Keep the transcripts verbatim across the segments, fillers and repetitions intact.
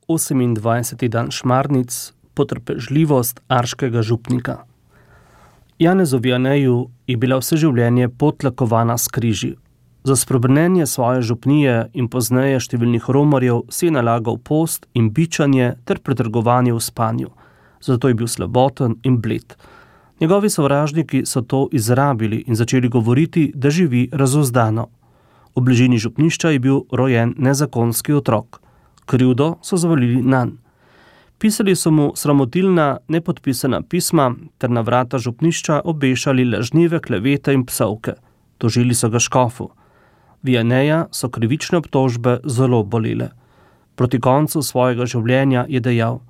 osemindvajseti dan Šmarnic, potrpežljivost arškega župnika. Janezu Vianeju je bila vse življenje potlakovana s križi. Za spremenjenje svoje župnije in pozneje številnih romarjev si je nalagal post in bičanje ter pretrgovanje v spanju. Zato je bil slaboten in bled. Njegovi sovražniki so to izrabili in začeli govoriti, da živi razuzdano. V bližini župnišča je bil rojen nezakonski otrok. Krivdo so zavalili nanj. Pisali so mu sramotilna, nepodpisana pisma ter na vrata župnišča obešali lažnive klevete in psovke. Tožili so ga škofu. Vianeja so krivične obtožbe zelo bolele. Proti koncu svojega življenja je dejal: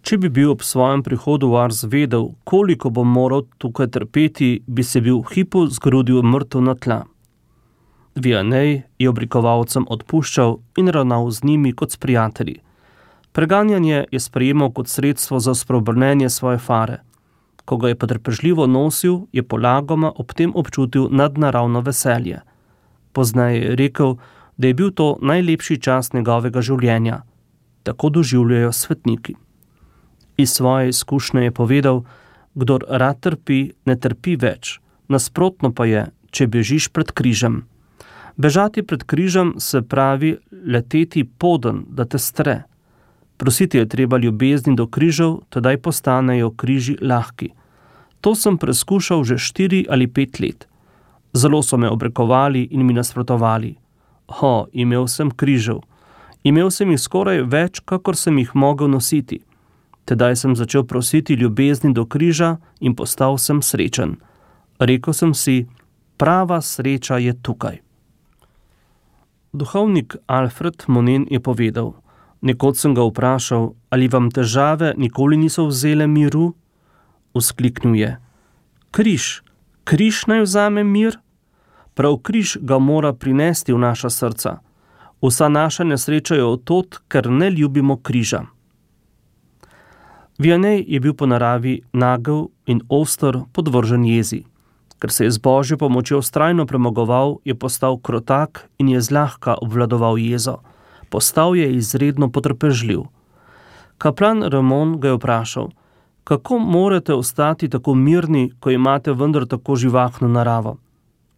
če bi bil ob svojem prihodu v Ars vedel, koliko bom moral tukaj trpeti, bi se bil v hipu zgrudil mrtev na tla. Vianej je obrikovalcem odpuščal in ravnal z njimi kot s prijatelji. Preganjanje je sprejemal kot sredstvo za spreobrnenje svoje fare. Ko ga je potrpežljivo nosil, je polagoma ob tem občutil nadnaravno veselje. Pozneje je rekel, da je bil to najlepši čas njegovega življenja. Tako doživljajo svetniki. Iz svoje izkušnje je povedal: kdor rad trpi, ne trpi več. Nasprotno pa je, če bežiš pred križem. Bežati pred križem se pravi leteti poden, da te stre. Prositi je treba ljubezni do križev, tedaj postanejo križi lahki. To sem preskušal že štiri ali pet let. Zelo so me obrekovali in mi nasprotovali. Ho, imel sem križev. Imel sem jih skoraj več, kakor sem jih mogel nositi. Tedaj sem začel prositi ljubezni do križa in postal sem srečen. Rekel sem si, prava sreča je tukaj. Duhovnik Alfred Monen je povedal: nekoč sem ga vprašal, ali vam težave nikoli niso vzele miru? Vzkliknil je: križ, križ naj vzame mir? Prav križ ga mora prinesti v naša srca. Vsa naša nesreča je od tod, ker ne ljubimo križa. Vianej je bil po naravi nagel in oster, podvržen jezi. Ker se je z Božjo pomočjo vztrajno premagoval, je postal krotak in je zlahka obvladoval jezo. Postal je izredno potrpežljiv. Kaplan Ramon ga je vprašal: kako morate ostati tako mirni, ko imate vendar tako živahno naravo?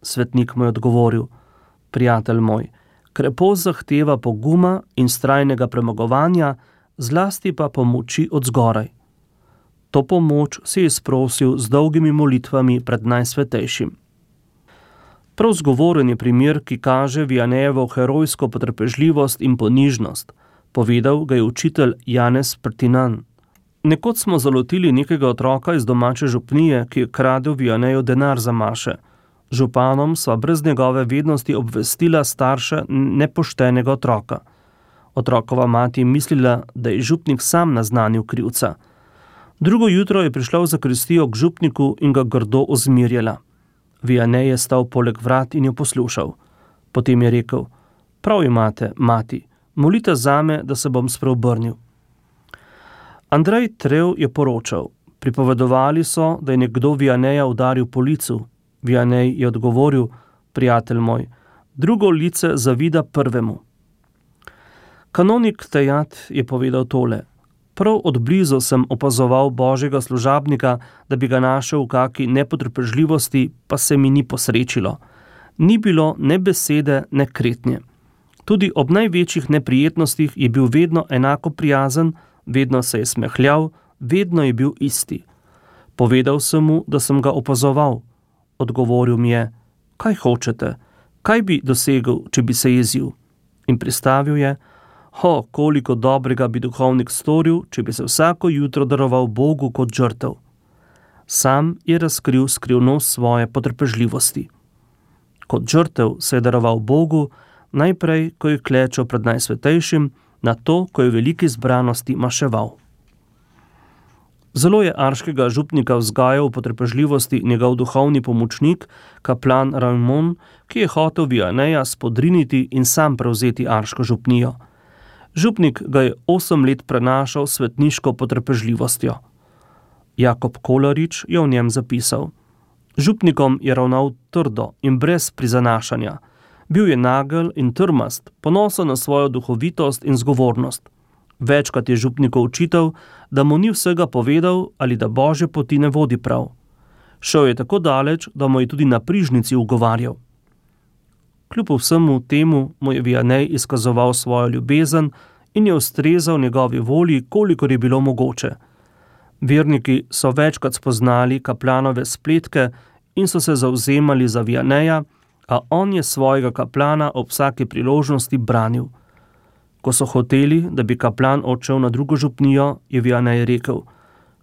Svetnik mu je odgovoril: prijatelj moj, krepost zahteva poguma in vztrajnega premagovanja, zlasti pa pomoči od zgoraj. To pomoč si je sprosil z dolgimi molitvami pred Najsvetejšim. Prav zgovoren je primer, ki kaže Vianejevo herojsko potrpežljivost in ponižnost. Povedal ga je učitelj Janez Prtinan. Nekoč smo zalotili nekega otroka iz domače župnije, ki je kradel Vianeju denar za maše. Županom sva brez njegove vednosti obvestila starše nepoštenega otroka. Otrokova mati je mislila, da je župnik sam naznanil krivca. Drugo jutro je prišla v zakristijo k župniku in ga grdo ozmirjala. Vianej je stal poleg vrat in jo poslušal. Potem je rekel: prav imate, mati, molite zame, da se bom spreobrnil. Andrej Trev je poročal: pripovedovali so, da je nekdo Vianeja udaril po licu. Vianej je odgovoril: prijatelj moj, drugo lice zavida prvemu. Kanonik Tejat je povedal tole: prav od blizu sem opazoval Božjega služabnika, da bi ga našel v kaki nepotrpežljivosti, pa se mi ni posrečilo. Ni bilo ne besede, ne kretnje. Tudi ob največjih neprijetnostih je bil vedno enako prijazen, vedno se je smehljal, vedno je bil isti. Povedal sem mu, da sem ga opazoval. Odgovoril mi je: kaj hočete? Kaj bi dosegel, če bi se jezil? In pristavil je: ho, koliko dobrega bi duhovnik storil, če bi se vsako jutro daroval Bogu kot žrtev. Sam je razkril skrivnost svoje potrpežljivosti. Kot žrtev se je daroval Bogu, najprej, ko je klečal pred Najsvetejšim, nato, ko je v veliki zbranosti maševal. Zelo je arškega župnika vzgajal v potrpežljivosti njegov duhovni pomočnik, kaplan Ramon, ki je hotel Vianeja spodriniti in sam prevzeti arško župnijo. Župnik ga je osem let prenašal svetniško potrpežljivostjo. Jakob Kolarič je v njem zapisal: župnikom je ravnal trdo in brez prizanašanja. Bil je nagel in trmast, ponosen na svojo duhovitost in zgovornost. Večkrat je župniku očital, da mu ni vsega povedal ali da Božje poti ne vodi prav. Šel je tako daleč, da mu je tudi na prižnici ugovarjal. Kljub vsemu temu mu je Vianney izkazoval svojo ljubezen in je ustrezal njegovi volji, kolikor je bilo mogoče. Verniki so večkrat spoznali kaplanove spletke in so se zavzemali za Vianneya, a on je svojega kaplana ob vsaki priložnosti branil. Ko so hoteli, da bi kaplan odšel na drugo župnijo, je Vianney rekel: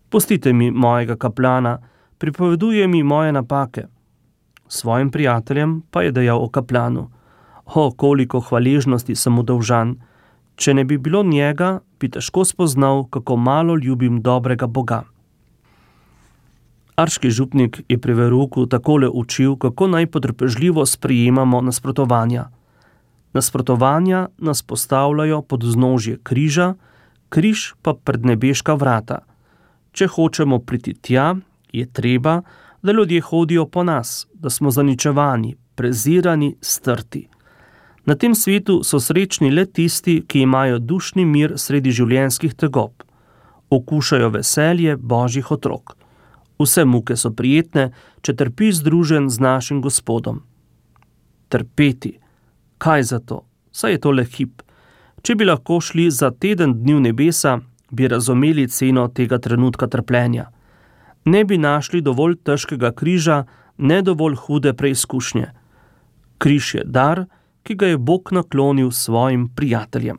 "Pustite mi mojega kaplana, pripoveduje mi moje napake." Svojim prijateljem pa je dejal o kaplanu: "O, koliko hvaležnosti sem mu dolžan. Če ne bi bilo njega, bi težko spoznal, kako malo ljubim dobrega Boga." Arški župnik je pri verouku takole učil, kako naj potrpežljivo sprejemamo nasprotovanja. Nasprotovanja nas postavljajo pod vznožje križa, križ pa pred nebeška vrata. Če hočemo priti tja, je treba, da ljudje hodijo po nas, da smo zaničevani, prezirani, strti. Na tem svetu so srečni le tisti, ki imajo dušni mir sredi življenjskih tegob. Okušajo veselje Božjih otrok. Vse muke so prijetne, če trpiš združen z našim Gospodom. Trpeti. Kaj za to? Saj je to le hip. Če bi lahko šli za teden dni v nebesa, bi razumeli ceno tega trenutka trpljenja. Ne bi našli dovolj težkega križa, ne dovolj hude preizkušnje. Križ je dar, ki ga je Bog naklonil svojim prijateljem.